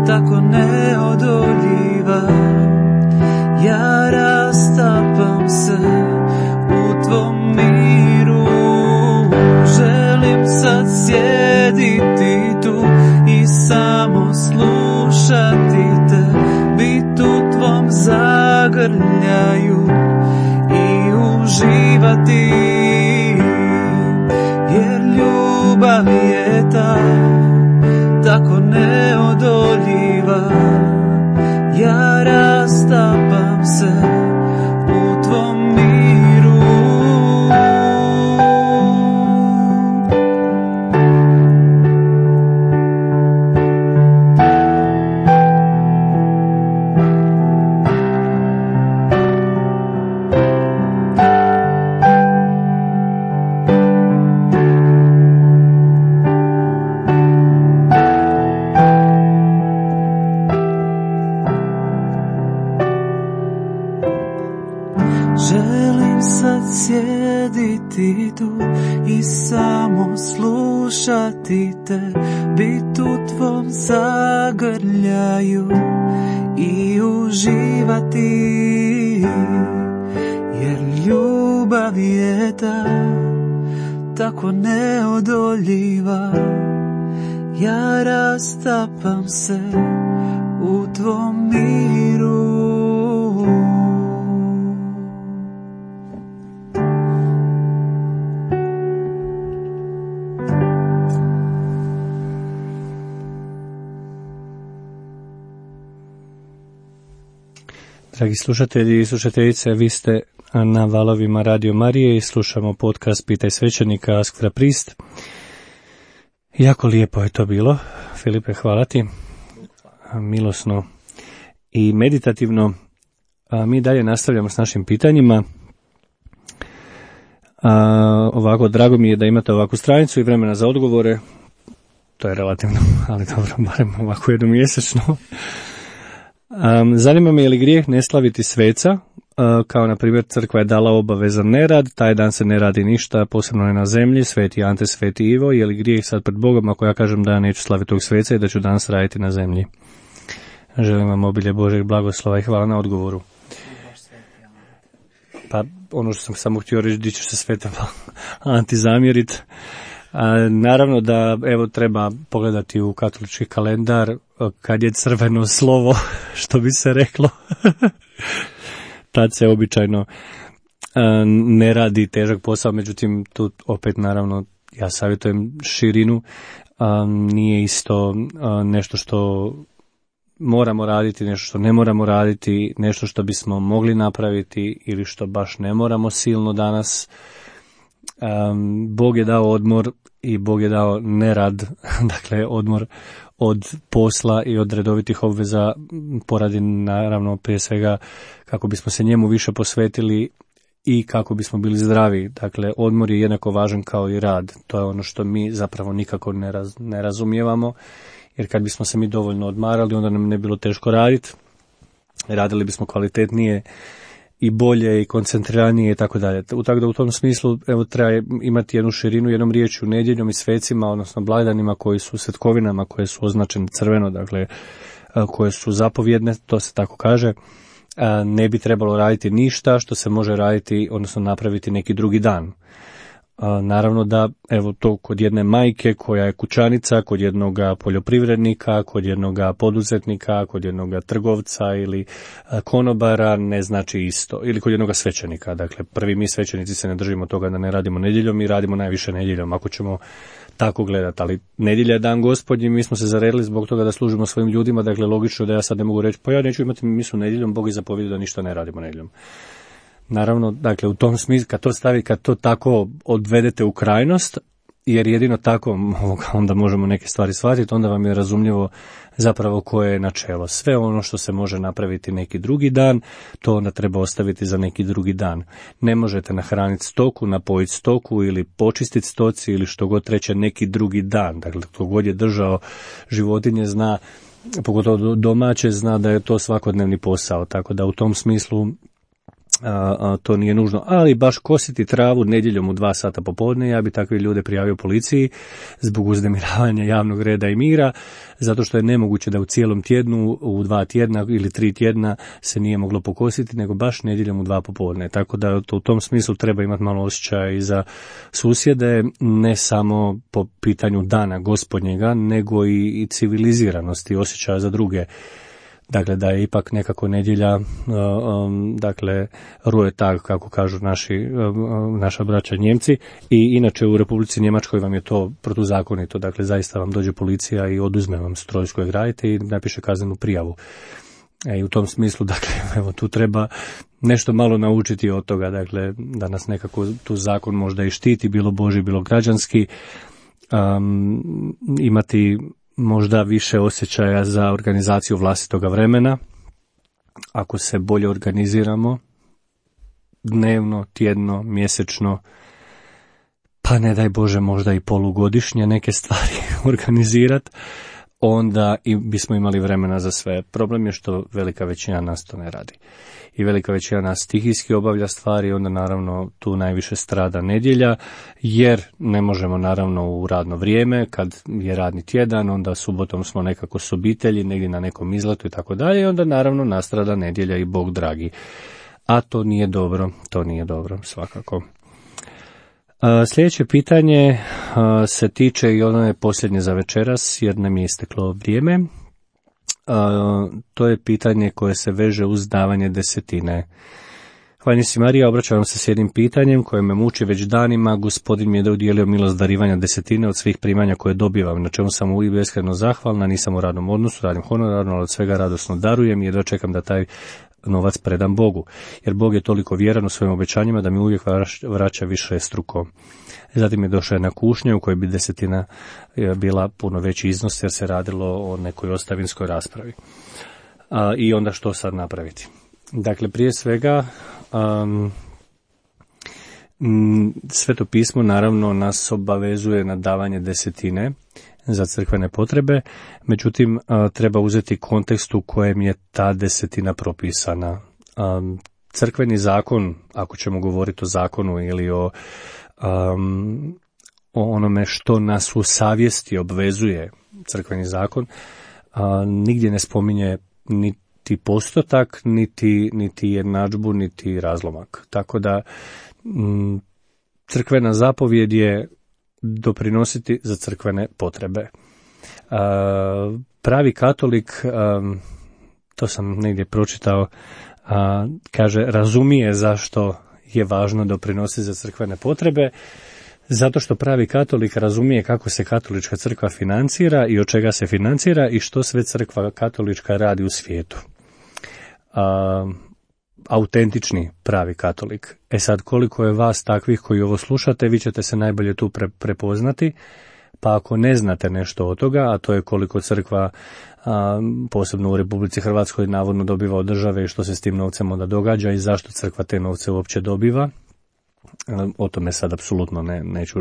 tako neodoljiva. Ja rastapam se u tvom miru. Želim sad sjediti tu i samo slušati te, bit u tvom zagrljaju i uživati, jer ljubav je tako neodoljiva. Ja rastapam se u tvom miru. Želim sad sjediti tu i samo slušati te, bit u tvom zagrljaju i uživati, jer ljubav je tako neodoljiva. Ja rastapam se u tvom miru. Dragi slušatelji i slušateljice, vi ste na valovima Radio Marije i slušamo podcast Pitaj svećenika, Ask the Priest. Jako lijepo je to bilo, Filipe, hvala ti. Milosno i meditativno. Mi dalje nastavljamo s našim pitanjima. Ovako, drago mi je da imate ovakvu stranicu i vremena za odgovore. To je relativno, ali dobro, barem ovako jednom mjesečno. Zanima me je li grijeh ne slaviti sveca, kao na primjer crkva je dala obavezan nerad, taj dan se ne radi ništa, posebno ne na zemlji, sveti Ante, sveti Ivo, je li grijeh sad pred Bogom ako ja kažem da ja neću slaviti tog sveca i da ću danas raditi na zemlji? Želim vam obilje Božeg blagoslova i hvala na odgovoru. Pa ono što sam samo htio reći, di ćeš se svetom Anti zamjeriti. Naravno da evo treba pogledati u katolički kalendar kad je crveno slovo, što bi se reklo. Tad se običajno ne radi težak posao, međutim tu opet naravno ja savjetujem širinu, nije isto nešto što moramo raditi, nešto što ne moramo raditi, nešto što bismo mogli napraviti ili što baš ne moramo silno danas. Bog je dao odmor i Bog je dao nerad, dakle odmor od posla i od redovitih obveza poradi naravno prije svega kako bismo se njemu više posvetili i kako bismo bili zdravi. Dakle, odmor je jednako važan kao i rad. To je ono što mi zapravo nikako ne razumijevamo, jer kad bismo se mi dovoljno odmarali, onda nam ne bilo teško raditi. Radili bismo kvalitetnije i bolje i koncentriranije i tako dalje. Tako da u tom smislu evo treba imati jednu širinu, jednom riječju nedjeljom i svecima, odnosno blagdanima koji su svetkovinama, koje su označene crveno, dakle koje su zapovjedne, to se tako kaže. Ne bi trebalo raditi ništa što se može raditi, odnosno napraviti neki drugi dan. Naravno da, evo to kod jedne majke koja je kućanica, kod jednog poljoprivrednika, kod jednog poduzetnika, kod jednog trgovca ili konobara ne znači isto. Ili kod jednog svećenika. Dakle, prvi mi svećenici se ne držimo toga da ne radimo nedjeljom i radimo najviše nedjeljom, ako ćemo tako gledati. Ali nedjelja je dan Gospodnji, mi smo se zaredili zbog toga da služimo svojim ljudima, dakle logično da ja sad ne mogu reći, pa ja neću imati misu nedjeljom, Bog je zapovjedio da ništa ne radimo nedjeljom. Naravno, dakle, u tom smislu, kad to tako odvedete u krajnost, jer jedino tako onda možemo neke stvari shvatiti, onda vam je razumljivo zapravo koje je načelo. Sve ono što se može napraviti neki drugi dan, to onda treba ostaviti za neki drugi dan. Ne možete nahraniti stoku, napojiti stoku ili počistiti stoci ili što god treće neki drugi dan. Dakle, tko god je držao životinje zna, pogotovo domaće, zna da je to svakodnevni posao. Tako da u tom smislu to nije nužno, ali baš kositi travu nedjeljom u 2 sata popodne, ja bi takve ljude prijavio policiji zbog uznemiravanja javnog reda i mira, zato što je nemoguće da u cijelom tjednu, u 2 tjedna ili 3 tjedna se nije moglo pokositi, nego baš nedjeljom u 2 popodne. Tako da u tom smislu treba imati malo osjećaja i za susjede, ne samo po pitanju dana Gospodnjega, nego i civiliziranosti, osjećaja za druge. Dakle, da je ipak nekako nedjelja, dakle, Ruhetag, kako kažu naša braća Njemci, i inače u Republici Njemačkoj vam je to protuzakonito, dakle, zaista vam dođe policija i oduzme vam stroj s kojeg radite i napiše kaznenu prijavu. I u tom smislu, dakle, evo, tu treba nešto malo naučiti od toga, dakle, da nas nekako tu zakon možda i štiti, bilo Božji, bilo građanski, imati možda više osjećaja za organizaciju vlastitoga vremena, ako se bolje organiziramo, dnevno, tjedno, mjesečno, pa ne daj Bože možda i polugodišnje neke stvari organizirati, onda bismo imali vremena za sve. Problem je što velika većina nas to ne radi. I velika većina nas stihijski obavlja stvari, onda naravno tu najviše strada nedjelja, jer ne možemo naravno u radno vrijeme, kad je radni tjedan, onda subotom smo nekako s obitelji, negdje na nekom izletu i tako dalje, i onda naravno nastrada nedjelja i Bog dragi. A to nije dobro, svakako. Sljedeće pitanje se tiče i ono je posljednje za večeras, jer nam je isteklo vrijeme. To je pitanje koje se veže uz davanje desetine. Hvala si Marija, obraćam se s jednim pitanjem koje me muči već danima. Gospodin mi je udijelio milost darivanja desetine od svih primanja koje dobivam, na čemu sam uvijek beskrajno zahvalna, nisam u radnom odnosu, radim honorarno, ali od svega radosno darujem jer dočekam da taj novac predam Bogu, jer Bog je toliko vjeran u svojim obećanjima da mi uvijek vraća više struko. Zatim je došla jedna kušnja u kojoj bi desetina bila puno veći iznos jer se radilo o nekoj ostavinskoj raspravi. I onda što sad napraviti? Dakle, prije svega Sveto pismo naravno nas obavezuje na davanje desetine za crkvene potrebe, međutim treba uzeti kontekst u kojem je ta desetina propisana. Crkveni zakon, ako ćemo govoriti o zakonu ili o onome što nas u savjesti obvezuje crkveni zakon, nigdje ne spominje niti postotak, niti jednadžbu, niti razlomak. Tako da crkvena zapovjed je doprinositi za crkvene potrebe. Pravi katolik, to sam negdje pročitao, kaže razumije zašto je važno doprinositi za crkvene potrebe, Zato što pravi katolik razumije kako se katolička crkva financira i od čega se financira i što sve crkva katolička radi u svijetu. Autentični pravi katolik. Sad, koliko je vas takvih koji ovo slušate, vi ćete se najbolje tu prepoznati, pa ako ne znate nešto od toga, a to je koliko crkva, posebno u Republici Hrvatskoj, navodno dobiva od države i što se s tim novcem onda događa i zašto crkva te novce uopće dobiva, o tome sad apsolutno neću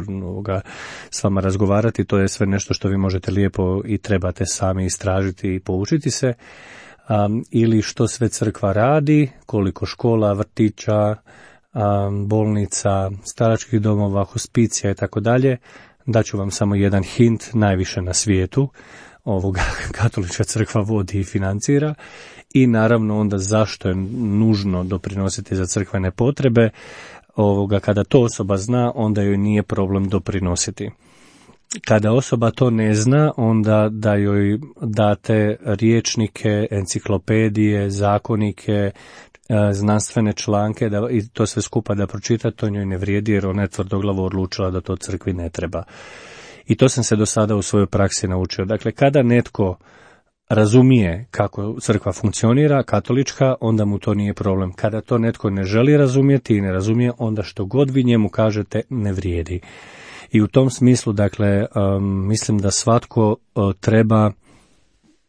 s vama razgovarati, to je sve nešto što vi možete lijepo i trebate sami istražiti i poučiti se. Ili što sve crkva radi, koliko škola, vrtića, bolnica, staračkih domova, hospicija i tako dalje. Daću vam samo jedan hint, najviše na svijetu katolička crkva vodi i financira i naravno onda zašto je nužno doprinositi za crkvene potrebe. Kada to osoba zna, onda joj nije problem doprinositi. Kada osoba to ne zna, onda da joj date rječnike, enciklopedije, zakonike, znanstvene članke i to sve skupa da pročita, to njoj ne vrijedi jer ona je tvrdoglavo odlučila da to crkvi ne treba. I to sam se do sada u svojoj praksi naučio. Dakle, kada netko razumije kako crkva funkcionira, katolička, onda mu to nije problem. Kada to netko ne želi razumjeti i ne razumije, onda što god vi njemu kažete ne vrijedi. I u tom smislu, dakle, mislim da svatko treba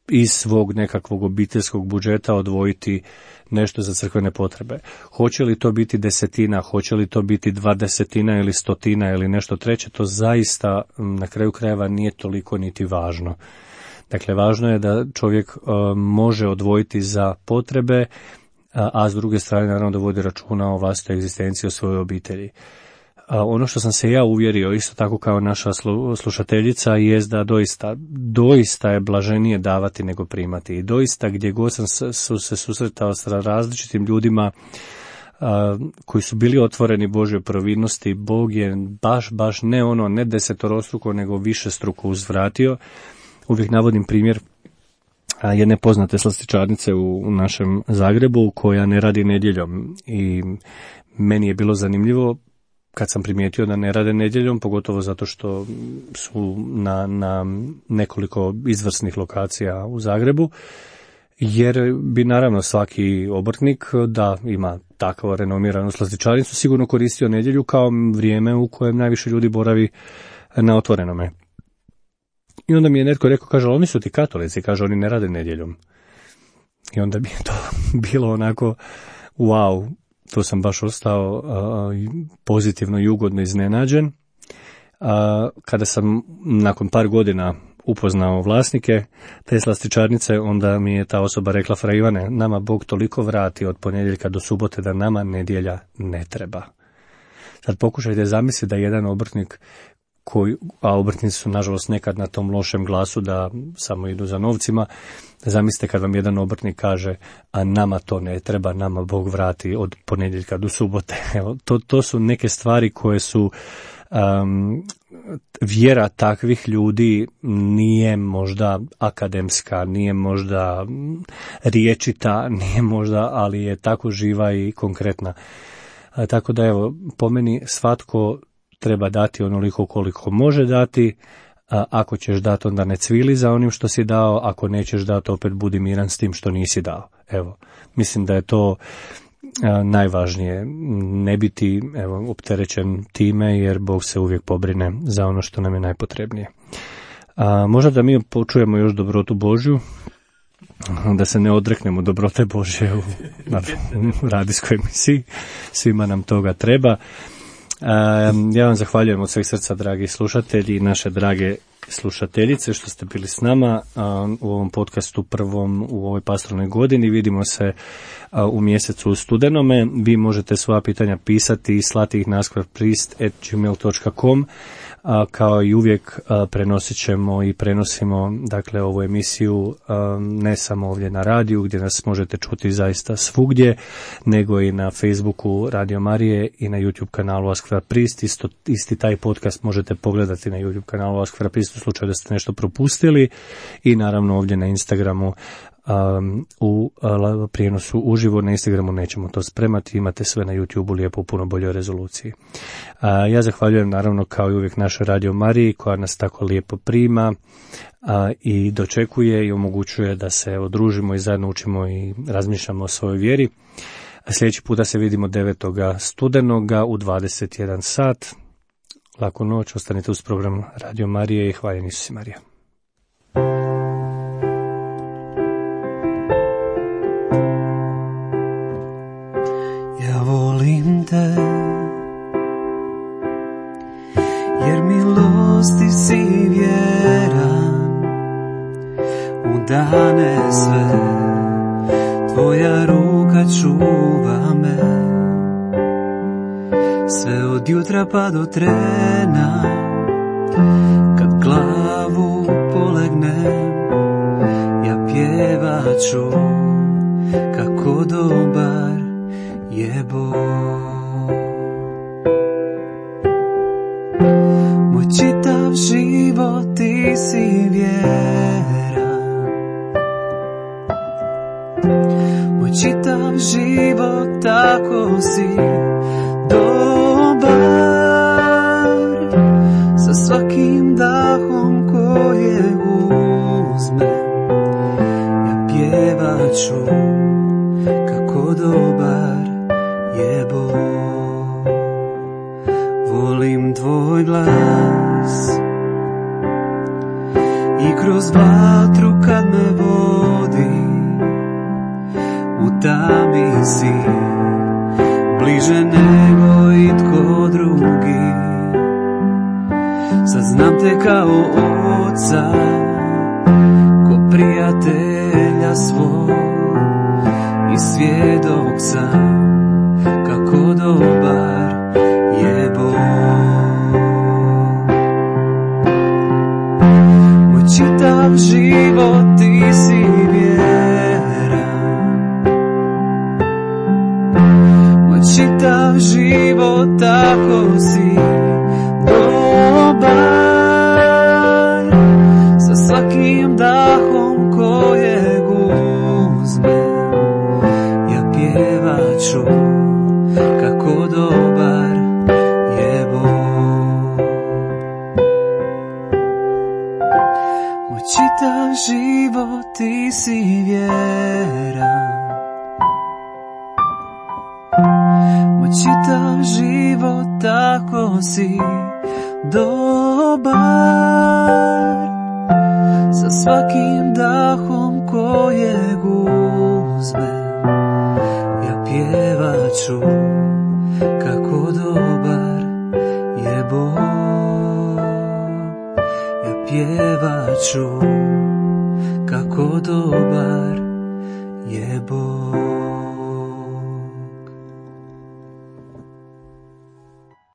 iz svog nekakvog obiteljskog budžeta odvojiti nešto za crkvene potrebe. Hoće li to biti 10, hoće li to biti 20 ili 100 ili nešto treće, to zaista na kraju krajeva nije toliko niti važno. Dakle, važno je da čovjek može odvojiti za potrebe, a s druge strane naravno da vodi računa o vlastitoj egzistenciji, o svojoj obitelji. Ono što sam se ja uvjerio, isto tako kao naša slušateljica, je da doista je blaženije davati nego primati. I doista gdje god sam se susretao sa različitim ljudima koji su bili otvoreni Božjoj providnosti, Bog je baš ne desetorostruko, nego višestruko uzvratio. Uvijek navodim primjer jedne poznate slastičarnice u našem Zagrebu koja ne radi nedjeljom i meni je bilo zanimljivo kad sam primijetio da ne rade nedjeljom, pogotovo zato što su na nekoliko izvrsnih lokacija u Zagrebu, jer bi naravno svaki obrtnik da ima takvu renomiranu slastičarnicu sigurno koristio nedjelju kao vrijeme u kojem najviše ljudi boravi na otvorenome. I onda mi je netko rekao, kaže, oni su ti katolici, kaže, oni ne rade nedjeljom. I onda bi to bilo onako, wow, to sam baš ostao pozitivno i ugodno iznenađen. Kada sam nakon par godina upoznao vlasnike te slastičarnice, onda mi je ta osoba rekla, fra Ivane, nama Bog toliko vrati od ponedjeljka do subote da nama nedjelja ne treba. Sad pokušajte zamisliti da jedan obrtnik a obrtnici su nažalost nekad na tom lošem glasu da samo idu za novcima. Zamislite kad vam jedan obrtnik kaže, a nama to ne treba, nama Bog vrati od ponedjeljka do subote. Evo, to su neke stvari koje su vjera takvih ljudi nije možda akademska, nije možda riječita, nije možda, ali je tako živa i konkretna. Tako da evo, po meni svatko treba dati onoliko koliko može dati, ako ćeš dati onda ne cvili za onim što si dao, ako nećeš dati opet budi miran s tim što nisi dao. Evo, mislim da je to najvažnije, ne biti opterećen time jer Bog se uvijek pobrine za ono što nam je najpotrebnije. Možda da mi počujemo još dobrotu Božju, da se ne odreknemo dobrote Božje u radijskoj emisiji, svima nam toga treba. Ja vam zahvaljujem od sveg srca, dragi slušatelji i naše drage slušateljice, što ste bili s nama u ovom podcastu prvom u ovoj pastoralnoj godini. Vidimo se u mjesecu studenome. Vi možete svoja pitanja pisati i slati ih na asquarpriest@gmail.com. Kao i uvijek prenosit ćemo i prenosimo dakle ovu emisiju ne samo ovdje na radiju gdje nas možete čuti zaista svugdje, nego i na Facebooku Radio Marije i na YouTube kanalu Asquarpriest. Isti taj podcast možete pogledati na YouTube kanalu Asquarpriest u slučaju da ste nešto propustili i naravno ovdje na Instagramu u prijenosu uživo. Na Instagramu nećemo to spremati, imate sve na YouTubeu lijepo u puno boljoj rezoluciji. Ja zahvaljujem naravno kao i uvijek našoj Radio Mariji koja nas tako lijepo prima i dočekuje i omogućuje da se družimo i zajedno učimo i razmišljamo o svojoj vjeri. Sljedeći puta se vidimo 9. studenoga u 21 sat. Laku noć, ostanite uz program Radio Marije i hvaljen Isus i Marija. Ja volim te, jer milosti si vjeran, u dane sve, tvoja ruka čuva me, sve od jutra pa do trena, kad glavu polegnem, ja pjevat ću kako dobar je Bog. Moj čitav život ti si vjeran, moj čitav život tako si dobar, sa svakim dahom kojeg uzmem, ja pjevat ću kako dobar je Bog. Volim tvoj glas i kroz vatru kad me vodi, u tami si bliže nego itko drugi. Sad znam te kao oca, ko prijatelja svog, i svjedok sam kako dobar je Bog. Moj čitav život ti si vjeran, moj čitav život tako si dobar, sa svakim dahom kojeg uzmem, pjevat ću kako dobar je Bog. Moj čitav život ti si vjeran, moj čitav život tako si dobar, sa svakim dahom kojeg uzmem, pjevat ću kako dobar je Bog. Ja pjevat ću kako dobar je Bog.